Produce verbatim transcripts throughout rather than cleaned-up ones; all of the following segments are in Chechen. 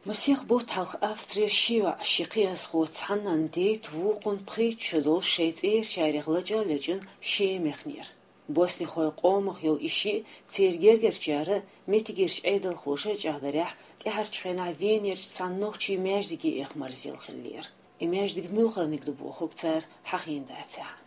Масех бутт хьалха Австрера ши йоӀ, ши кхиазхо, цхьаннен дейтта вукхун пхийтта шо долуш шайн цӀерачарех лачкъа а лечкъина Шема яхнера. Боснихойн къомах йолу и шиъ церан гергарчара а, меттигерчу Ӏедалхоша а чӀагӀдарехь, тӀаьхьарчу хенахь Венерчу цхьана нохчийн маьждиге эха марзъелла хиллера. И маьждиг муьлхарниг ду бохург цара хьахийна дацахь а.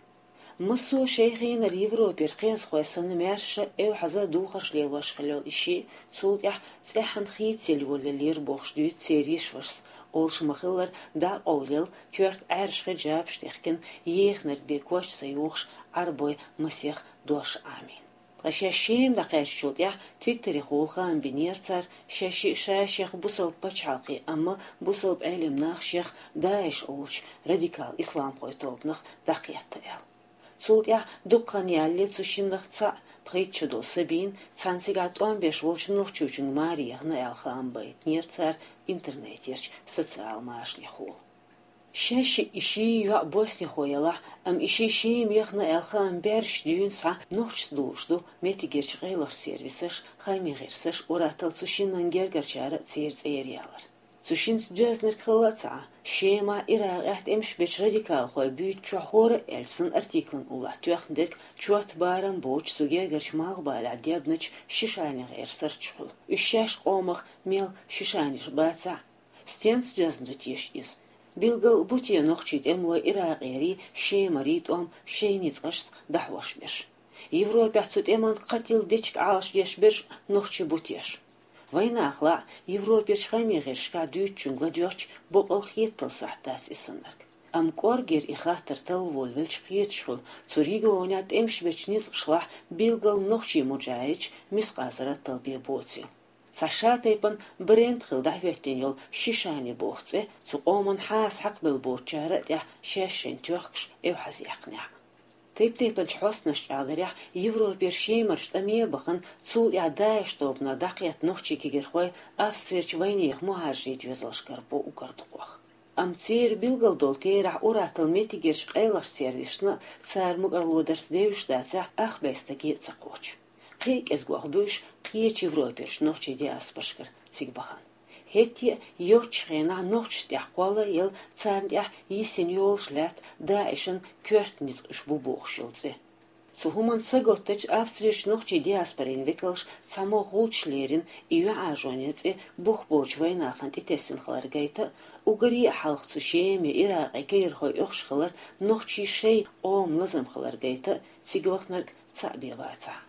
Массо а шайн хенара Европера кхиазхой санна маьрша, эвхьаза а духарш лелош хилла йолу и шиъ, цул тӀаьхьа цӀеххьана хийцаелла йолаеллера бохуш дуьйцу церан йишвашас, олуш ма-хиллара, дӀа а къовлаелла, коьрта Ӏаьржа хиджабаш а техкина, еханарг бен коч ца юхуш, Ӏарбойн масех дош а Ӏамийна. Ткъа шаьш Шема дӀакхаьчначул тӀаьхьа Твиттерехула хаам бинера цара, шаьш шиъ ша-шех бусалба пачхьалкхе, амма бусалба Ӏелам нах шех ДАИШ олучу радикал исламхойн тобанах дӀакхетта аьлла. Цул тӀаьхьа дукха хан ялале цу шиннах цхьаъ, пхийтта шо долу Сабина, цхьана цигахь тӀом беш волчу нохчочуьнга маре яхна аьлла хаам байтинера цара интернетерчу социал машанехула. Шаьш шиъ и ши йоӀ боснихо ялахь, амма и шиъ Шема яхна аьлла хаам баьржаш дуьйна схьа нохчашца долуш ду меттигерчу къайлахчу сервисаш, хаамийн гӀирсаш, уьш а тӀе цу шиннан гергарчара а церан цӀера ялар. Цу шинца доьзнарг хилла а ца Ӏа, Шемахь, Иракъехь тӀемаш бечу радикалхойн буьйцучохь хӀора а аьлча санна артиклан уллохь тоьхна дерг чот-барам боцуш цу гергарчу Малхбалехь дебначу Шишанин гӀеран сурташ хуьлу. Уьш шаьш къомах мел Шишаниш бацахь а, стенца доьзна ду теша иза? Билггал бу те нохчийн тӀемалой Иракъерий, Шемарий тӀом шайн ницкъашца дӀахьош берш? Европехь цу тӀеман кхетта дечиг Ӏалашдеш берш нохчий бу теша? Вайнахалахь, Европерчу хаамийн гӀирсашкахь дуьйцучуьнга ладоьгӀча, боккъал хеталуш сахьт дац и саннарг. Амма кӀоргера и хаттар талла волавелча кхеташ хуьлу, цу регионехь тӀемаш бечу ницкъашлахь билггал нохчийн муджахӀидаш мискъал зарратал бен боцийла. Цхьа шатайпана бренд хилла дӀахӀоьттина йолу Шишани боху цӀе цу къоман хьаса хьакхабелла боцучара а тӀехь шаьш шайна тоьхкуш эвхьазъяьккхинехь а. Тайп-тайпанчу хьостанаша чӀагӀдарехь, Европера Шемарчу тӀаме а бахана, цул тӀаьхьа ДАИШ тобанах дӀакхетта нохчийн кегирхой Австрерчу вайнехан мухӀажарийн доьзалшкара бу уггар дукхох. Амма церан билггал долу терахь уьш а тӀе меттигерчу къайлахчу сервисашна а, цара мукӀарло дарца девзаш дацахь, ах бен стаге а ца кхочу. Кхин а кӀезгох буьйш кхечу Европерчу нохчийн диаспорашкара цига бахана. ХӀетте а йоцчу хенахь нохчашна тӀехь кхолла а елла, царна тӀехь йисина йолуш лаьтта ДАИШан коьрта ницкъ уьш бу бохуш йолу цӀе. Цу хӀуманна саготтачу Австрерчу нохчийн диаспорин векалша цхьаммо гӀулч лерина и юьхьӀаьржонан цӀе бух боцучу вайнахана тӀетесна хилар гайта а, уггаре а хьалха цу Шеман, Иракъан кегирхой оьхуш хилар нохчийн шайн къоман лазам хилар гайта а, цига вахнарг цхьаъ бен вацахь а.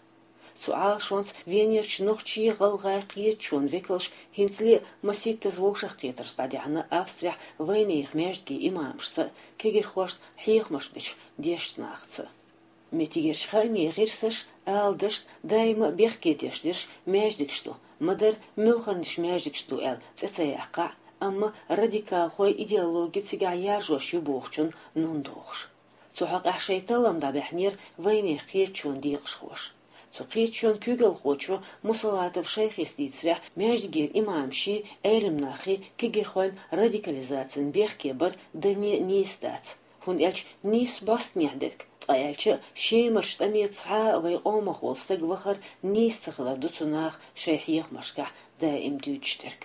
Цу Ӏалашонца Венерчу нохчийн, гӀалгӀайн, кхеташонан векалш хӀинцале а масийттаза вовшахкхетарш дӀадаьхьна Австрехь вайнехан маьждигийн имамашца а, кегирхошна хьехамаш бечу дешначу нахаца а. Меттигерчу хаамийн гӀирсаша, аладашна, даима а бехке деш дерш маьждигаш ду, ма-дарра муьлхарниш маьждигаш ду аьлла цӀе ца яьккхахь а, амма радикалхойн идеологи цигахь яржош ю бохучунна нун дохуш. Цу хьокъехь шайн таллам дӀабаьхьнера вайнехан кхеташонан декъашхоша. Цу кхеташонан куьйгалхочо Мусалатов Шайхис дийцарехь, маьждигера имамаший, Ӏелам нахий кегирхойн радикализацина бехке бар дане а нийса дац, хӀунда аьлча нийсса бӀостанехьа дерг, ткъа аьлча а Шемарчу тӀаме цхьа а вайн къомах волу стаг вахар нийса ца хилар ду цу наха шайн хьехамашкахь даим дуьйцуш дерг.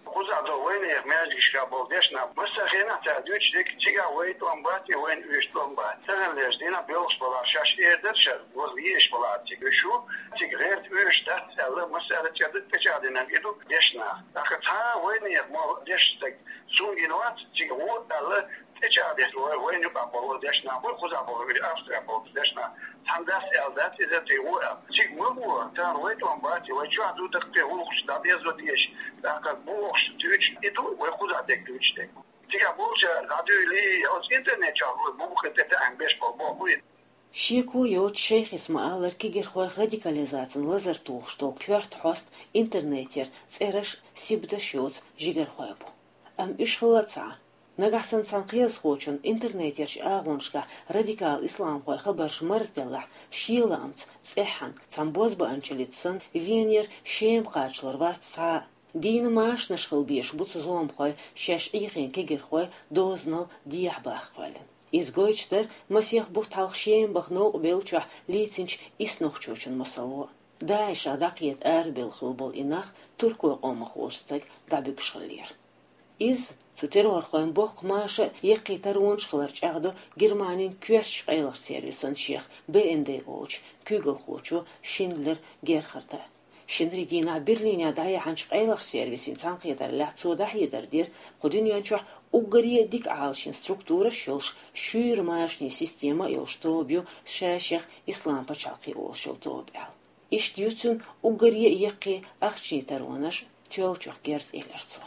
Кхузахь долу вайнехан маьждигашкахь болу дешнаш массо а хенахь цара дуьйцуш дерг: цигахь вайн тӀом бац, и вайна оьшуш тӀом бац. Таханлерчу дийнахь белхаш балахь, шаьш эр дара шаьш, ваза везаш балахь цига уьш ву, цига гӀерта оьшуш дац аьлла, массара а цӀе ду, печатьдина а ду дешнаш. ТӀаккха цхьа а вайнехан молу дешна стаг цунна гина вац, цига ву аьлла, тӀечӀагӀдеш вай, вайна юкъахь болу дешнаш бу, кхузахь болу, Австрехь болу дешнаш. Цхьана дас аьлла дац иза, тӀе ву аьлла. Цига ма ву, цара вайн тӀом бац, вай чохь ду даккхий гӀуллакхаш дӀадезо дезаш, тӀаккха бохуш дуьйцуш и ду, вай кхузахь дерг дуьйцуш дерг. Цигахь болчара дӀадуьйла, оцу интернет чохь вай бухахь тӀетаьӀна беш болу боху и. Шеко йоцуш Шайхис ма-аллара, кегирхойх радикализацина лазар тухуш долу коьрта хьоста интернетера цӀераш, сибаташ йоцу жигархой бу. Амма уьш хилла а ца Ӏа, нагахь санна цхьана кхиазхочунна интернетерчу агӀонашкахь радикал исламхойн хабарш марзделлахь, шен лаамца цӀеххьана цхьана бозбуунчаллица санна Венера Шема кхачалур вац цхьа а. Дийна машанаш хила безаш бу цу зуламхойн шаьш Ӏехийна кегирхой дозанал дехьа баха кхоьллина. Иза гойтуш дара масех бутт хьалха Шема баха новкъа бевллачохь лийцинчу исс нохчочун масало. ДАИШах дӀакхета арабевлла хилла болу и нах туркойн къомах волчу стага дӀабуьгуш хиллера. Иза, цу террорхойн боккха маша а, яккхий таронаш а хилар чӀагӀдо Германин коьртачу къайлахчу сервисан шех Б Н Д олучу куьйгалхочо Шиндлер Герхарда. Шинарин дийнахь Берлинехь дӀаяьхьначу къайлахчу сервисийн цхьаьнакхетараллехь цо дӀахьедар дира, кху дуьнен чохь уггаре а дика Ӏалашйина структураш а йолуш, шуьйра машанийн система а йолуш тоба ю ша-шех Ислам пачхьалкх олуш йолу тоба аьлла. Иштта ю цуьнан уггаре а яккхий ахчанийн таронаш а, тоьллачух герз, элира цо.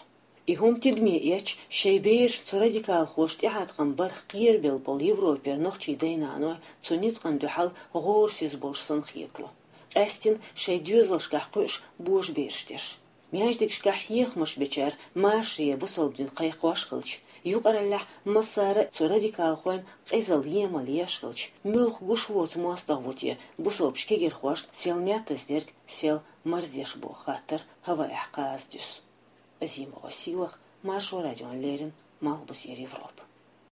И хӀума тидаме эцча, шайн бераш цу радикалхоша тӀехьа тахана барх кхерабелла болу Европера нохчийн дай-наной цу ницкъана дуьхьал гӀорасиз болуш санна хетало. Къаьсттина шайн доьзалшкахь кхуьуш божабераш дерш. Маьждигашкахь хьехамаш бечара машаре бусалба дин кхайкхош хилча, юкъараллехь массара а цу радикалхойн къизалла емал еш хилча, муьлха гуш воцу мостагӀа ву те бусалбачу кегирхошна сел меттаза дерг сел марздеш боху хаттар хӀаваэхь кхаза дуьсу. Азимова Сийлаха, Маршо радиона леррина, Малхбузера Европа.